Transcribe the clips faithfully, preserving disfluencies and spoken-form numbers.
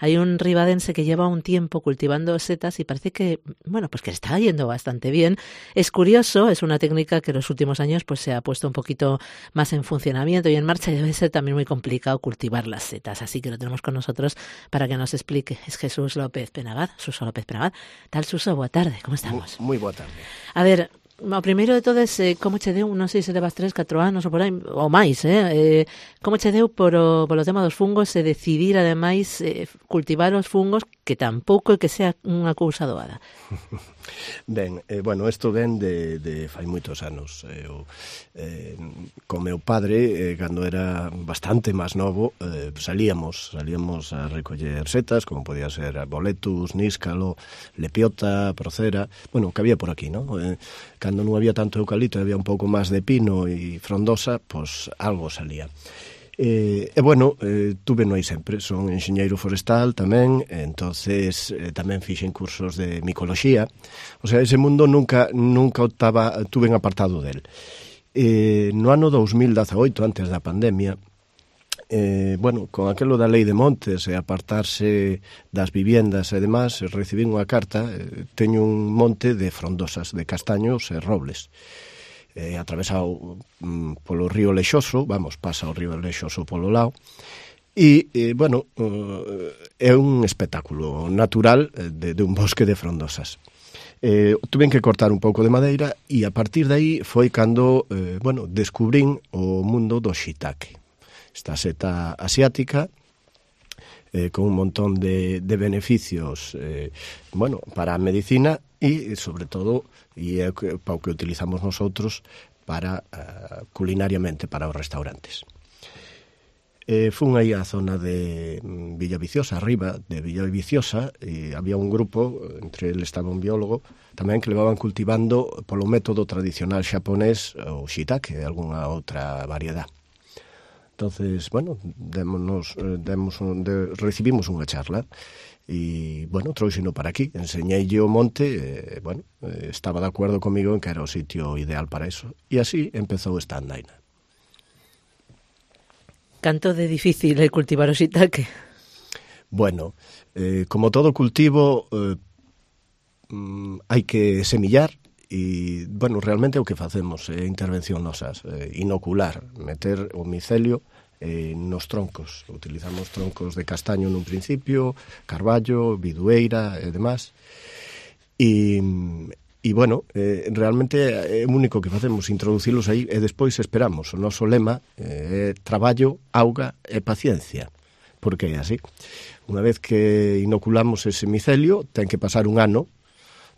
hay un ribadense que lleva un tiempo cultivando setas y parece que, bueno, pues que le está yendo bastante bien. Es curioso, es una técnica que en los últimos años pues se ha puesto un poquito más en funcionamiento y en marcha, y debe ser también muy complicado cultivar las setas, así que lo tenemos con nosotros para que nos explique. Es Jesús López Penagad, Suso López Penagad. Tal, Suso, boa tarde, como estamos? Moi, moi boa tarde. A ver, o primeiro de todo é eh, como che deu, non sei se levas tres, catro anos ou por aí, ou máis, eh? eh como che deu por o, por o tema dos fungos e decidir, ademais, eh, cultivar os fungos, que tampouco é que sea unha cousa doada? Ben, eh, bueno, isto ven de, de fai moitos anos. Eu, eh, con meu padre, eh, cando era bastante máis novo, eh, salíamos, salíamos a recoller setas, como podía ser boletus, níscalo, lepiota, procera, bueno, que había por aquí, ¿no? Eh, cando non había tanto eucalipto, había un pouco máis de pino e frondosa, pois algo salía. E, e bueno, eh, tuve no aí sempre, son enxeñeiro forestal tamén, entonces eh, tamén fixen cursos de micoloxía, o sea, ese mundo nunca nunca estaba, tuve en apartado del. Eh, no ano dos mil dezaoito, antes da pandemia, eh, bueno, con aquelo da lei de montes e apartarse das viviendas e demás, recibín unha carta, eh, teño un monte de frondosas, de castaños e robles, eh, atravesado mm, polo río Lexoso, vamos, pasa o río Lexoso polo lado, e, eh, bueno, uh, é un espectáculo natural de, de un bosque de frondosas. Eh, tuven que cortar un pouco de madeira e a partir de aí foi cando, eh, bueno, descubrín o mundo do shiitake, esta seta asiática, eh, con un montón de, de beneficios, eh, bueno, para a medicina e, sobre todo, e é para o que utilizamos nosotros para uh, culinariamente para os restaurantes. Eh, fun aí á zona de Villaviciosa, arriba de Villaviciosa, e había un grupo, entre eles estaba un biólogo, tamén que levaban cultivando polo método tradicional xaponés o shiitake e algunha outra variedad. Entonces, bueno, démonos, demos, de, recibimos unha charla e, bueno, trouxeno para aquí, enseñeille o monte, e, bueno, estaba de acordo comigo en que era o sitio ideal para eso. E así empezou esta andaina. Canto de difícil é cultivar o shiitake? Bueno, eh, como todo cultivo, eh, mm, hai que semillar, e, bueno, realmente o que facemos é intervención nosas, eh, inocular, meter o micelio eh, nos troncos. Utilizamos troncos de castaño nun principio, carballo, bidueira e demás. E, e bueno, eh, realmente é o único que facemos, introducilos aí e despois esperamos. O noso lema é eh, traballo, auga e paciencia. Porque é así. Unha vez que inoculamos ese micelio, ten que pasar un ano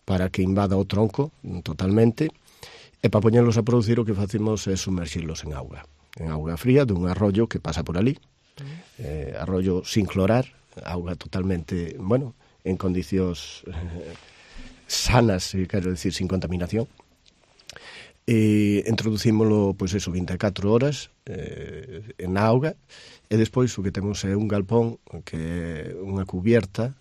para que invada o tronco totalmente, e para poñerlos a producir o que facemos é sumerxirlos en auga, en auga fría dun arroyo que pasa por ali, eh, arroyo sin clorar, auga totalmente, bueno, en condicións eh, sanas, quero decir, sin contaminación. E introducímolo, pois eso, vinte e catro horas eh, en auga, e despois o que temos é un galpón que é unha cubierta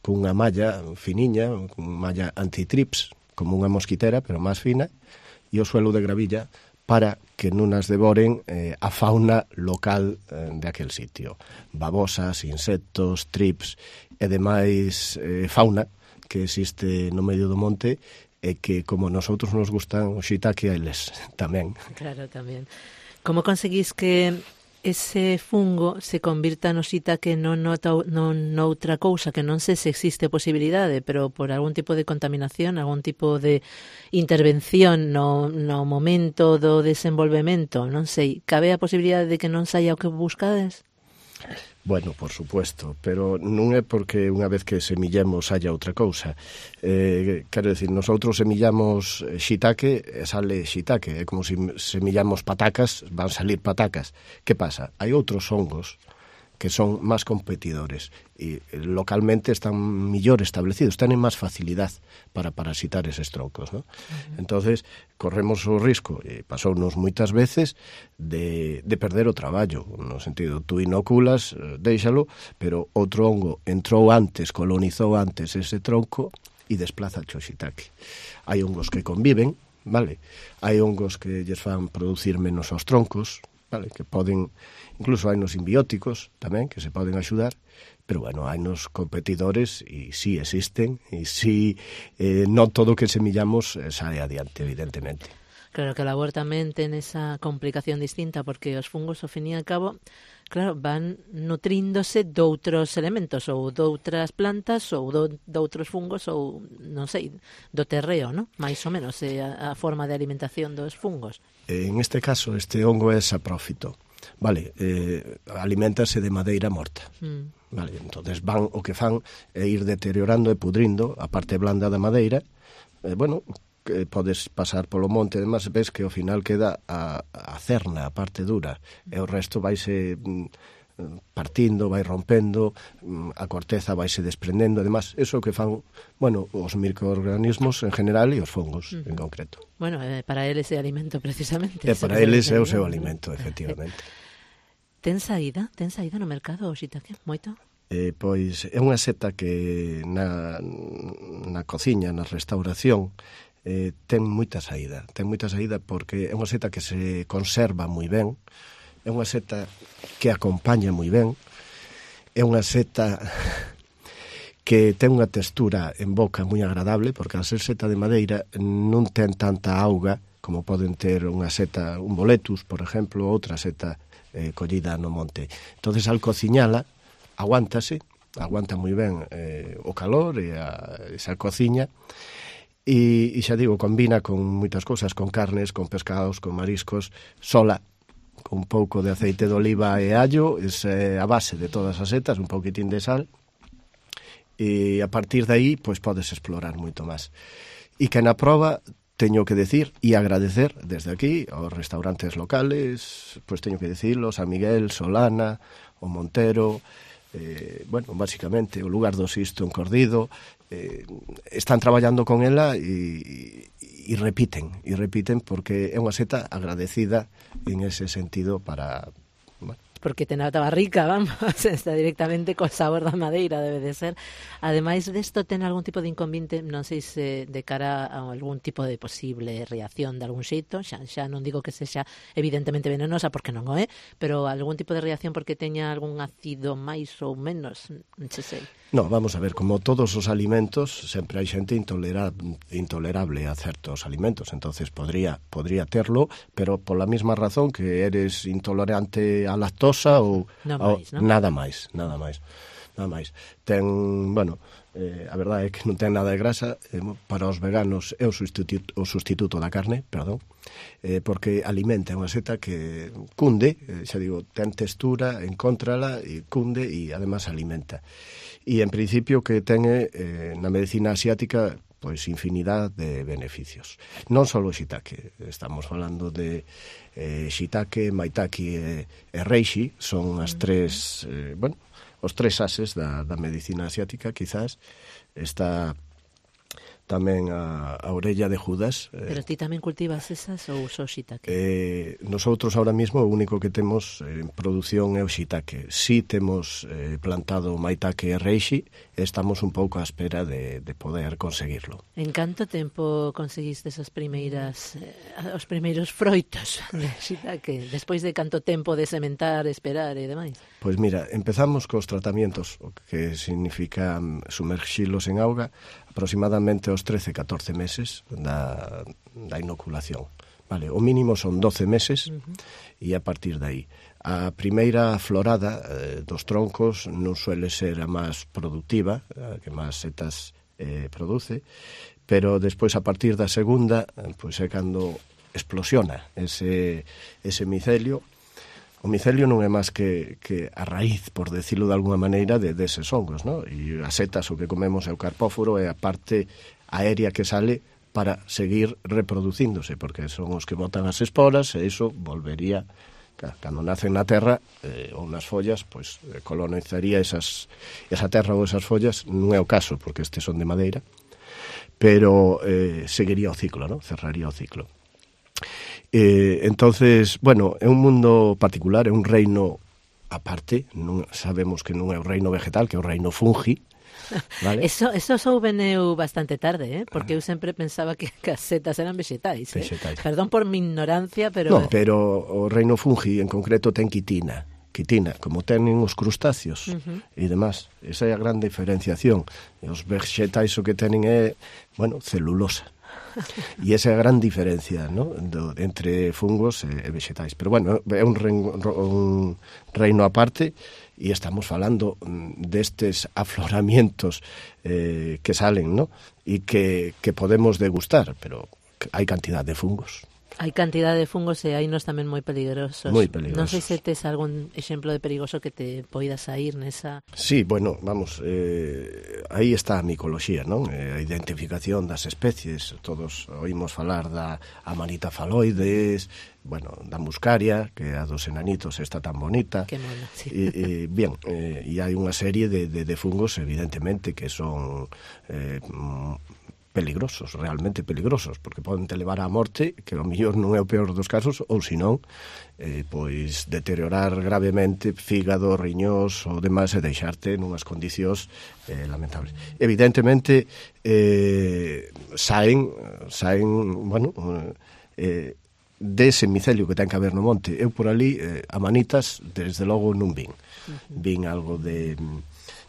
con unha malla finiña, con unha malla antitrips, como unha mosquitera, pero máis fina, e o suelo de gravilla para que non as devoren eh, a fauna local eh, de aquel sitio. Babosas, insectos, trips e demais eh, fauna que existe no medio do monte e que, como nosotros nos gustan o shiitake, a eles tamén. Claro, tamén. Como conseguís que ese fungo se convirta no shiitake non noutra cousa, que non sei se existe posibilidade, pero por algún tipo de contaminación, algún tipo de intervención no, no momento do desenvolvemento, non sei, cabe a posibilidade de que non saia o que buscades? Bueno, por supuesto, pero non é porque unha vez que semillemos haya outra cousa. Eh, quero decir, nosotros semillamos shiitake e sale shiitake. É como se semillamos patacas, van salir patacas. Que pasa? Hai outros hongos que son máis competidores e localmente están mellor establecidos, tenen máis facilidade para parasitar eses troncos, ¿no? Uh-huh. Entonces, corremos o risco, e pasounos moitas veces, de, de perder o traballo, no sentido, tú inoculas, déixalo, pero outro hongo entrou antes, colonizou antes ese tronco e desplaza o shiitake. Hai hongos que conviven, vale? Hai hongos que lles fan producir menos aos troncos, vale, que poden, incluso hai nos simbióticos tamén, que se poden axudar, pero bueno, hai nos competidores e sí existen, e sí eh, non todo o que semillamos eh, sae adiante, evidentemente. Claro que a labor tamén ten esa complicación distinta, porque os fungos, ao fin e ao cabo, claro, van nutríndose doutros elementos, ou doutras plantas, ou do, doutros fungos, ou, non sei, do terreo, non? Mais ou menos, é a, a forma de alimentación dos fungos. En este caso, este hongo é saprófito. Vale, eh, aliméntase de madeira morta. Mm. Vale, entonces van, o que fan é ir deteriorando e pudrindo a parte blanda da madeira. Eh, bueno, que podes pasar polo monte, además ves que ao final queda a, a cerna, a parte dura, e o resto vaise partindo, vai rompendo, a corteza vaise desprendendo, además, eso que fan, bueno, os microorganismos en general e os fungos uh-huh. en concreto. Bueno, eh, para eles é alimento precisamente. E para eles é o seu alimento, efectivamente. Ten saída? Ten saída no mercado o shiitake? Moito? Eh, pois é unha seta que na, na cociña, na restauración, Eh, ten moita saída, ten moita saída porque é unha seta que se conserva moi ben, é unha seta que acompaña moi ben, é unha seta que ten unha textura en boca moi agradable, porque a ser seta de madeira non ten tanta auga como poden ter unha seta, un boletus, por exemplo, outra seta eh, collida no monte. Entonces, al cociñala, aguántase, aguanta moi ben eh, o calor e a, esa cociña. E, e xa digo, combina con moitas cousas, con carnes, con pescados, con mariscos, sola, con un pouco de aceite de oliva e allo, é a base de todas as setas, un pouquitín de sal, e a partir de aí, pois podes explorar moito máis. E que na proba, teño que decir e agradecer desde aquí aos restaurantes locales, pois teño que dicirlo, San Miguel, Solana, o Montero, eh, bueno, basicamente o lugar do Sisto encordido, eh, están traballando con ela e, e repiten, e repiten porque é unha seta agradecida en ese sentido para... Bueno. Porque ten a tabarrica, vamos, está directamente co sabor da madeira, debe de ser. Ademais desto, ten algún tipo de inconveniente, non sei se de cara a algún tipo de posible reacción de algún xeito, xa, xa non digo que sexa evidentemente venenosa, porque non o é, pero algún tipo de reacción porque teña algún ácido máis ou menos, non sei. No, vamos a ver, como todos os alimentos, sempre hai xente intolera, intolerable a certos alimentos, entonces podría, podría terlo, pero pola mesma razón que eres intolerante á lactosa ou no máis, ao, ¿no? nada máis, nada máis, nada máis. Ten, bueno, eh, a verdade é que non ten nada de grasa, eh, para os veganos é o sustituto, o sustituto da carne, perdón, eh, porque alimenta unha seta que cunde, eh, xa digo, ten textura, encóntrala e cunde e además alimenta. E en principio que ten eh, na medicina asiática pois infinidade de beneficios. Non só o shiitake, estamos falando de eh, shiitake, maitake e, e reishi, son as tres, eh, bueno, os tres ases da, da medicina asiática, quizás. Está tamén a, a orella de Judas. Pero ti tamén cultivas esas ou só shiitake? Eh, nosotros ahora mismo o único que temos en produción é o shiitake. Si temos eh, plantado maitake e reishi, estamos un pouco á espera de, de poder conseguirlo. En canto tempo conseguiste as primeiras eh, os primeiros froitos de shiitake? Despois de canto tempo de sementar, esperar e demais? Pois mira, empezamos cos tratamientos, o que significa sumerxilos en auga, aproximadamente aos trece, catorce meses da, da inoculación. Vale, o mínimo son doce meses uh-huh. e a partir de aí. A primeira florada eh, dos troncos non suele ser a máis productiva, a que máis setas eh, produce, pero despois a partir da segunda, pois é cando explosiona ese, ese micelio. O micelio non é máis que, que a raíz, por decirlo de alguna maneira, de deses hongos, ¿no? E as setas, o que comemos é o carpóforo, é a parte aérea que sale para seguir reproducíndose, porque son os que botan as esporas e iso volvería, cando nacen na terra eh, ou nas follas, pois colonizaría esas, esa terra ou esas follas. Non é o caso, porque estes son de madeira, pero eh, seguiría o ciclo, ¿no? Cerraría o ciclo. Eh, entonces, bueno, é un mundo particular, é un reino aparte, non, sabemos que non é o reino vegetal, que é o reino fungi, Vale? Eso, eso souben eu bastante tarde, eh? Porque eu sempre pensaba que as setas eran vegetais, eh? Vegetais. Perdón por mi ignorancia, pero... No, pero o reino fungi en concreto ten quitina. Quitina, como tenen os crustáceos uh-huh. e demás. Esa é a gran diferenciación. E os vegetais o que tenen é, bueno, celulosa. E esa é a gran diferencia, ¿no? Do, entre fungos e, e vegetais. Pero bueno, é un reino, un reino aparte. E estamos falando destes afloramientos eh, que salen, ¿no? E que, que podemos degustar, pero hai cantidad de fungos. Hai cantidad de fungos e hai nos tamén moi peligrosos. Moi peligrosos. Non sei se tes algún exemplo de perigoso que te poida sair nesa... Sí, bueno, vamos, eh, aí está a micoloxía, non? Eh, a identificación das especies. Todos oímos falar da Amanita phalloides, bueno, da muscaria, que a dos enanitos está tan bonita. Que mona, sí. E, e, bien, eh, e hai unha serie de, de, de fungos, evidentemente, que son... Eh, peligrosos, realmente peligrosos, porque poden te levar á morte, que ao mellor non é o peor dos casos, ou senón, eh, pois deteriorar gravemente fígado, riñós ou demais e deixarte nunhas condicións eh, lamentables. Evidentemente, eh, saen, saen, bueno, eh, dese micelio que ten que haber no monte. Eu por ali, eh, a manitas, desde logo non vin. Vin algo de...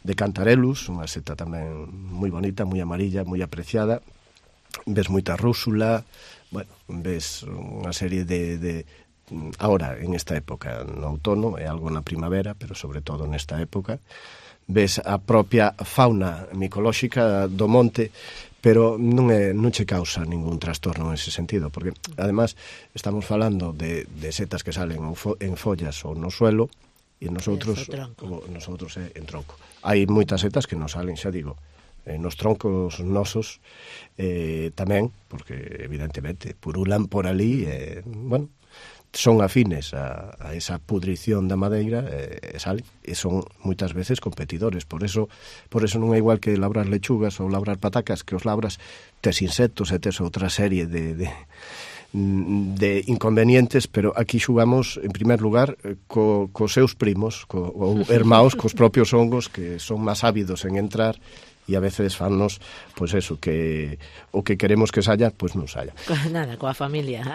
de Cantarellus, unha seta tamén moi bonita, moi amarilla, moi apreciada. Ves moita rúsula, bueno, ves unha serie de, de... Ahora, en esta época, no outono, é algo na primavera, pero sobre todo nesta época. Ves a propia fauna micolóxica do monte, pero non, é, non che causa ningún trastorno en ese sentido, porque, además, estamos falando de, de setas que salen en follas ou no suelo, e nosotros, nosotros é en tronco. Hai moitas setas que non salen, xa digo, eh, nos troncos nosos eh, tamén, porque evidentemente purulan por ali, eh, bueno, son afines a, a esa pudrición da madeira e eh, salen, e son moitas veces competidores. Por eso, por eso non é igual que labrar lechugas ou labrar patacas, que os labras tes insectos e tes outra serie de... de de inconvenientes, pero aquí xugamos en primer lugar co, cos seus primos, co, ou hermaos, cos propios hongos que son máis ávidos en entrar e a veces fannos, pois pues eso, que o que queremos que saia, pois pues non saia. Nada, coa familia.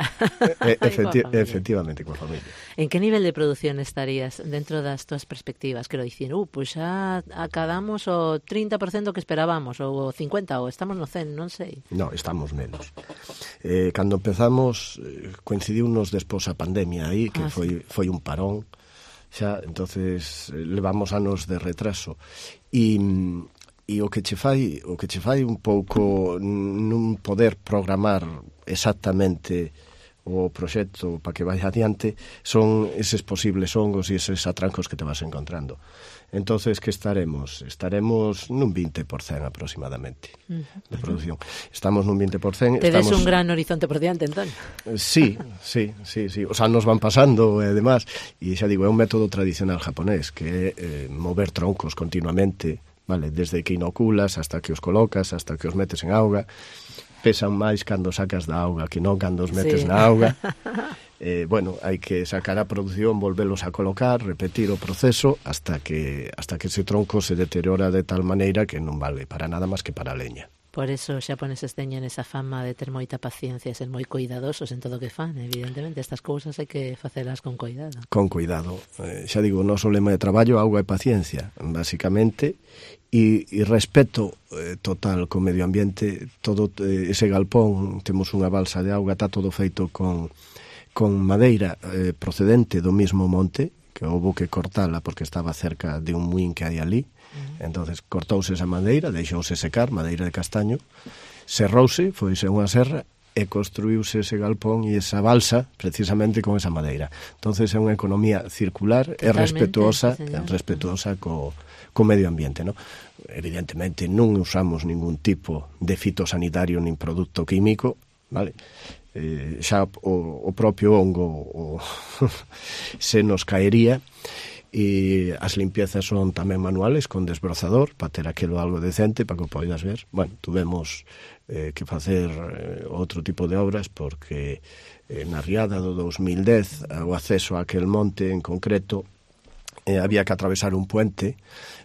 E, efecti- coa familia. Efectivamente, coa familia. En que nivel de produción estarías dentro das túas perspectivas? Quero dicir, uh, pois pues xa acadamos o trinta por cento que esperábamos, ou o cincuenta por cento, ou estamos no cen, non sei. No, estamos menos. Eh, cando empezamos, eh, coincidiunos despois a pandemia aí, que ah, foi, foi un parón, xa, entonces eh, levamos anos de retraso. E... E o que che fai, o que che fai un pouco non poder programar exactamente o proxecto para que vai adiante son eses posibles hongos e eses atrancos que te vas encontrando. Entonces, que estaremos? Estaremos nun vinte por cento aproximadamente uh-huh. de producción. Estamos nun vinte por cento. Tedes estamos... un gran horizonte por diante, entón? Sí, sí, sí, sí. Os anos van pasando e demás. E xa digo, é un método tradicional japonés que é eh, mover troncos continuamente, vale, desde que inoculas hasta que os colocas, hasta que os metes en auga. Pesan máis cando sacas da auga que non cando os metes sí. na auga. Eh, bueno, hai que sacar a produción, volvelos a colocar, repetir o proceso hasta que hasta que ese tronco se deteriora de tal maneira que non vale para nada máis que para a leña. Por eso os xaponeses teñen esa fama de ter moita paciencia e ser moi cuidadosos en todo o que fan. Evidentemente, estas cousas hai que facelas con cuidado. Con cuidado. Eh, xa digo, o noso lema de traballo, auga e paciencia, basicamente, e, e respeto eh, total co medio ambiente. Todo eh, ese galpón, temos unha balsa de auga, está todo feito con, con madeira eh, procedente do mismo monte, que houve que cortala porque estaba cerca de un muín que hai ali. Entonces cortouse esa madeira, deixouse secar, madeira de castaño, serrouse, foise unha serra e construíuse ese galpón e esa balsa precisamente con esa madeira. Entonces é unha economía circular e respetuosa, sí, respetuosa co, co medio ambiente, ¿no? Evidentemente non usamos ningún tipo de fitosanitario nin produto químico, vale? Eh, xa o, o propio hongo o, se nos caería. E as limpiezas son tamén manuales con desbrozador para ter aquilo algo decente para que o poidas ver. Bueno, tuvemos eh, que facer eh, outro tipo de obras porque eh, na riada do dos mil dez o acceso a aquel monte en concreto eh, había que atravesar un puente,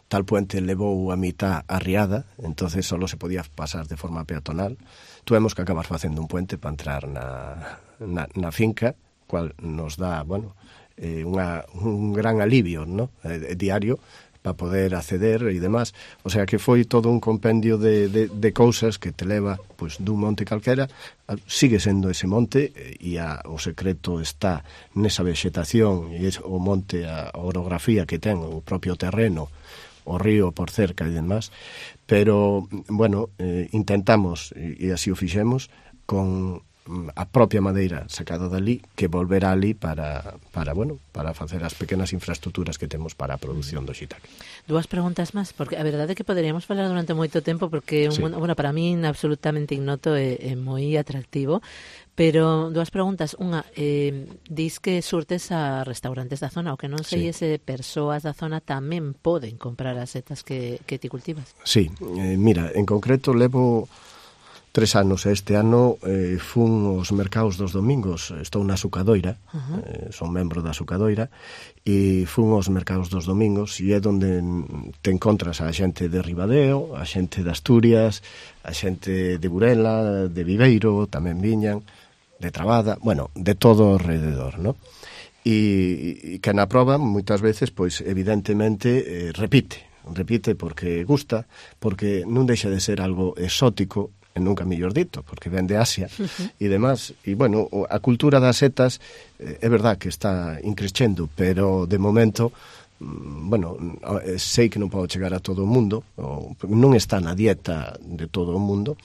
tal puente levou a mitad arriada, entonces solo se podía pasar de forma peatonal. Tuvemos que acabar facendo un puente para entrar na, na, na finca, cual nos dá, bueno, eh, unha, un gran alivio, ¿no? eh, diario, para poder acceder e demás. O sea que foi todo un compendio de, de, de cousas que te leva pues, dun monte calquera, sigue sendo ese monte e a, o secreto está nesa vegetación e o monte, a orografía que ten, o propio terreno, o río por cerca e demás, pero, bueno, eh, intentamos, e, e así o fixemos, con a propia madeira sacada dali que volverá ali para, para, bueno, para facer as pequenas infraestructuras que temos para a produción do shiitake. Dúas preguntas máis, porque a verdade é que poderíamos falar durante moito tempo, porque sí. un, bueno, para min absolutamente ignoto é, é moi atractivo, pero dúas preguntas. Unha, eh, dis que surtes a restaurantes da zona, o que non sei sí. se persoas da zona tamén poden comprar as setas que, que ti cultivas. Sí, eh, mira, en concreto levo tres anos, e este ano eh, fun aos mercados dos domingos, estou na Sucadoira, uh-huh. eh, son membro da Sucadoira, e fun aos mercados dos domingos, e é onde te encontras a xente de Ribadeo, a xente de Asturias, a xente de Burela, de Viveiro, tamén viñan, de Trabada, bueno, de todo o alrededor, ¿no? E, e que na proba, moitas veces, pois, evidentemente, eh, repite, repite porque gusta, porque non deixa de ser algo exótico, e nunca mellor dito, porque ven de Asia uh-huh. e demás, e bueno, a cultura das setas eh, é verdad que está increchendo, pero de momento bueno, sei que non podo chegar a todo o mundo, ou non está na dieta de todo o mundo,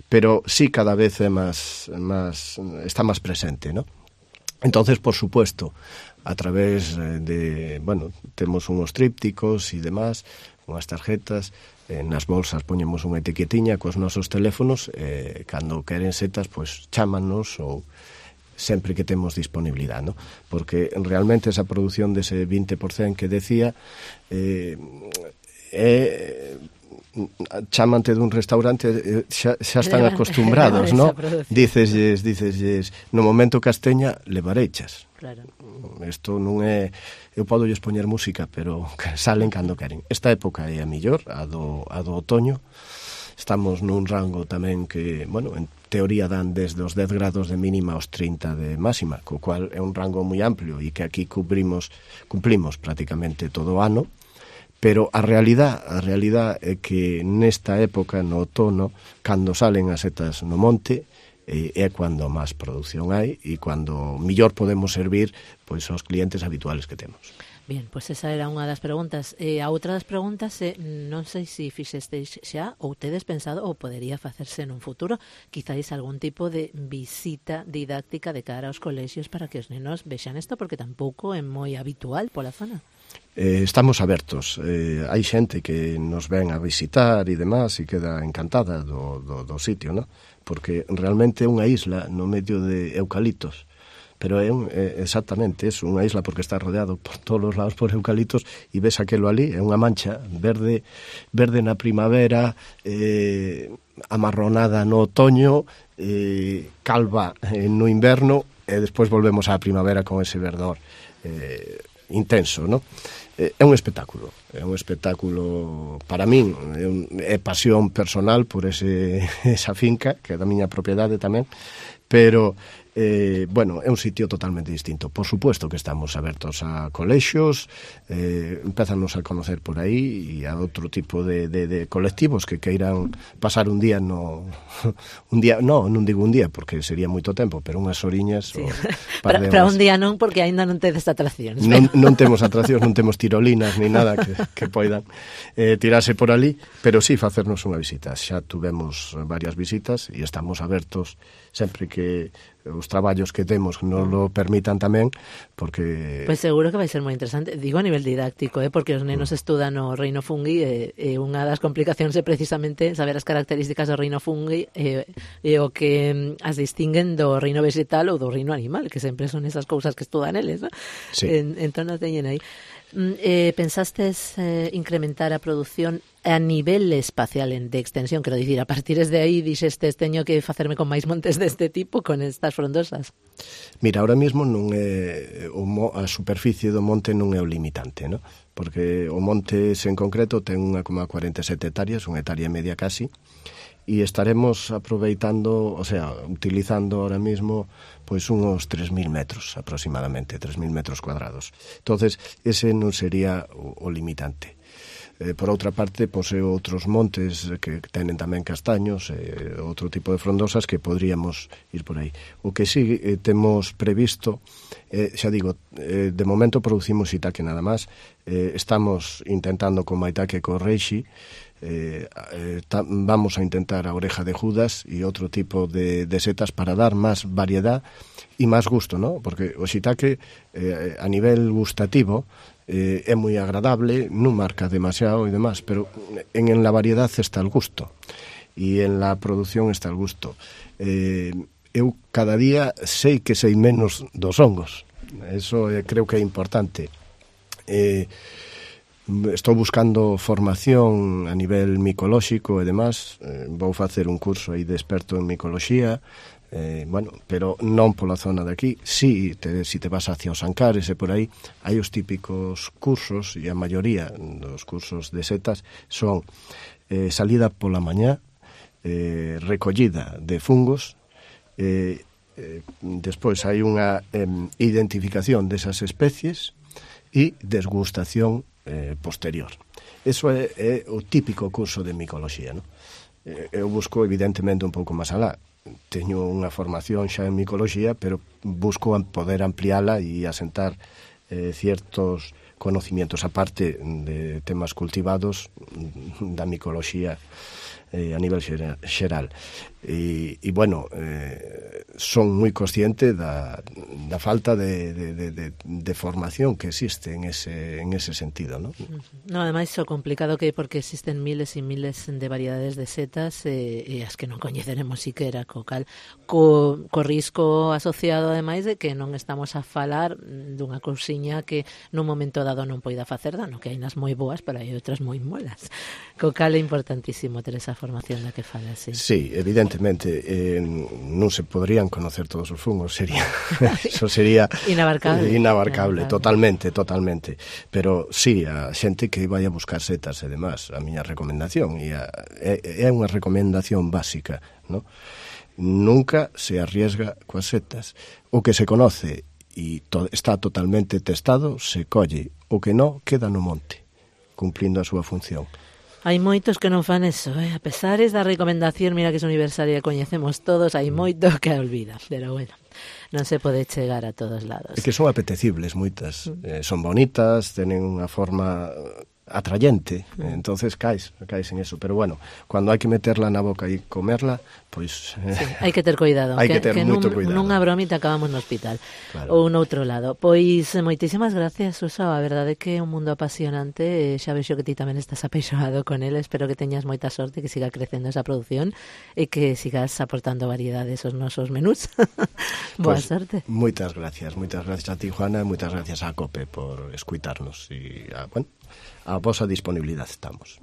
pero sí cada vez é máis, máis está máis presente, ¿no? Entonces, por supuesto, a través de, bueno, temos unhos trípticos e demás, unhas tarjetas, eh, nas bolsas poñemos unha etiquetiña cos nosos teléfonos, eh, cando queren setas, pois chámanos ou sempre que temos disponibilidade, ¿no? Porque realmente esa produción dese vinte por cento que decía eh, é chamante dun restaurante, xa, xa están acostumbrados, ¿no? Dicesles, dicesles, no momento casteña levarechas. Claro. Isto non é, eu podo lles poñer música, pero salen cando queren. Esta época é a mellor, a do, a do otoño. Estamos nun rango tamén que, bueno, en teoría dan desde os dez grados de mínima aos trinta de máxima, co cual é un rango moi amplio e que aquí cubrimos, cumplimos prácticamente todo o ano. Pero a realidad, a realidad é que nesta época, no outono, cando salen as setas no monte, eh, é cando máis produción hai e cando millor podemos servir pois aos clientes habituales que temos. Bien, pois pues esa era unha das preguntas. Eh, a outra das preguntas é, non sei se fixestes xa ou tedes pensado ou podería facerse nun futuro, quizáis algún tipo de visita didáctica de cara aos colexios para que os nenos vexan isto, porque tampouco é moi habitual pola zona. Eh, estamos abertos, eh, hai xente que nos ven a visitar e demás e queda encantada do, do, do sitio, ¿no? Porque realmente é unha isla no medio de eucaliptos, pero é, un, é exactamente eso, unha isla porque está rodeado por todos os lados por eucaliptos e ves aquelo ali, é unha mancha verde verde na primavera, eh, amarronada no otoño, eh, calva eh, no inverno e despois volvemos á primavera con ese verdor eh, intenso, ¿no? É un espectáculo, é un espectáculo para min, é, un, é pasión personal por ese, esa finca, que é da miña propiedade tamén, pero, eh, bueno, é un sitio totalmente distinto. Por supuesto que estamos abertos a colexios, eh, empezanos a conocer por aí e a outro tipo de, de, de colectivos que queiran pasar un día no... un día, no, non digo un día, porque sería moito tempo, pero unhas horiñas... Sí. Para, para un día non, porque aínda non tedes atraccións. Non, non temos atraccións, non temos tirolinas, ni nada que, que poidan eh, tirarse por ali, pero sí facernos unha visita. Xa tuvemos varias visitas e estamos abertos sempre que os traballos que temos nos lo permitan tamén, porque... Pois pues seguro que vai ser moi interesante, digo a nivel didáctico, eh, porque os nenos mm. estudan o reino fungi e, e unha das complicacións é precisamente saber as características do reino fungi e, e o que as distinguen do reino vegetal ou do reino animal, que sempre son esas cousas que estudan eles, ¿no? Sí. En, entón non teñen aí. Eh, pensastes eh, incrementar a produción a nivel espacial de extensión, quero dicir, a partir de aí dixeste teño que facerme con máis montes deste tipo, con estas frondosas. Mira, ahora mesmo non é o, a superficie do monte non é o limitante, ¿no? Porque o monte en concreto ten unha coma cuarenta e sete hectáreas, unha hectárea e media casi, e estaremos aproveitando, o sea, utilizando ahora mismo pois unos tres mil metros aproximadamente, tres mil metros cuadrados. Entonces, ese non sería o, o limitante. Eh, por outra parte, posee outros montes que tenen tamén castaños, eh, outro tipo de frondosas que podríamos ir por aí. O que sí eh, temos previsto, eh, xa digo, eh, de momento producimos shiitake nada máis, eh, estamos intentando con maitake e con reishi, Eh, eh, ta, vamos a intentar a oreja de Judas e outro tipo de, de setas para dar máis variedad e máis gusto, ¿no? Porque o shiitake eh, a nivel gustativo eh, é moi agradable, non marca demasiado e demás, pero en, en la variedad está el gusto e en la producción está el gusto. Eh, eu cada día sei que sei menos dos hongos, eso eh, creo que é importante. Eh, Estou buscando formación a nivel micolóxico e demás, eh, vou facer un curso aí de experto en micoloxía, eh, bueno, pero non pola zona de aquí. Si te, si te vas hacia os Ancares e por aí, hai os típicos cursos, e a maioría dos cursos de setas son eh, salida pola mañá, eh, recollida de fungos, eh, eh, despois hai unha eh, identificación desas especies e desgustación Eh, posterior. Eso é, é o típico curso de micoloxía, ¿no? Eh, eu busco evidentemente un pouco máis alá. Teño unha formación xa en micoloxía, pero busco poder ampliala e asentar eh, ciertos conocimientos aparte de temas cultivados da micoloxía eh, a nivel xeral. E, e bueno, eh, son moi consciente da, da falta de, de, de, de formación que existe en ese, en ese sentido, ¿no? No, ademais, o complicado que é porque existen miles e miles de variedades de setas e, e as que non coñeceremos siquera, co cal co, co risco asociado ademais de que non estamos a falar dunha cousiña que nun momento dado non poida facer dano, que hai nas moi boas, pero hai outras moi molas. Co cal é importantísimo ter esa formación da que fala, sí. Sí, evidentemente, eh, non se podrían conocer todos os fungos, sería eso sería inabarcable, eh, inabarcable, inabarcable, totalmente, totalmente. Pero sí, a xente que vai a buscar setas e demás, a miña recomendación e a, é, é unha recomendación básica, ¿no? Nunca se arriesga coas setas. O que se conoce e to, está totalmente testado, se colle. O que non, queda no monte, cumplindo a súa función. Hai moitos que non fan eso, eh? A pesares da recomendación, mira que é universal e coñecemos todos, hai moito que olvida, pero bueno, non se pode chegar a todos lados. É que son apetecibles moitas, mm. eh, son bonitas, tenen unha forma atrayente, mm. entonces caes, caes en eso, pero bueno, cando hai que meterla na boca e comerla, pois eh, sí, hai que ter cuidado, hai que, que ter que moito cuidado. Nunha bromita acabamos no hospital, claro. Ou noutro lado. Pois moitísimas gracias, Suso, a verdade é que é un mundo apasionante, xa vexo que ti tamén estás apeixoado con ele, espero que teñas moita sorte, que siga crecendo esa produción e que sigas aportando variedades aos nosos menús. Boa pues, sorte. Moitas gracias, moitas gracias a ti, Juana, moitas gracias a COPE por escuitarnos e a, bueno, a vosa disponibilidade estamos.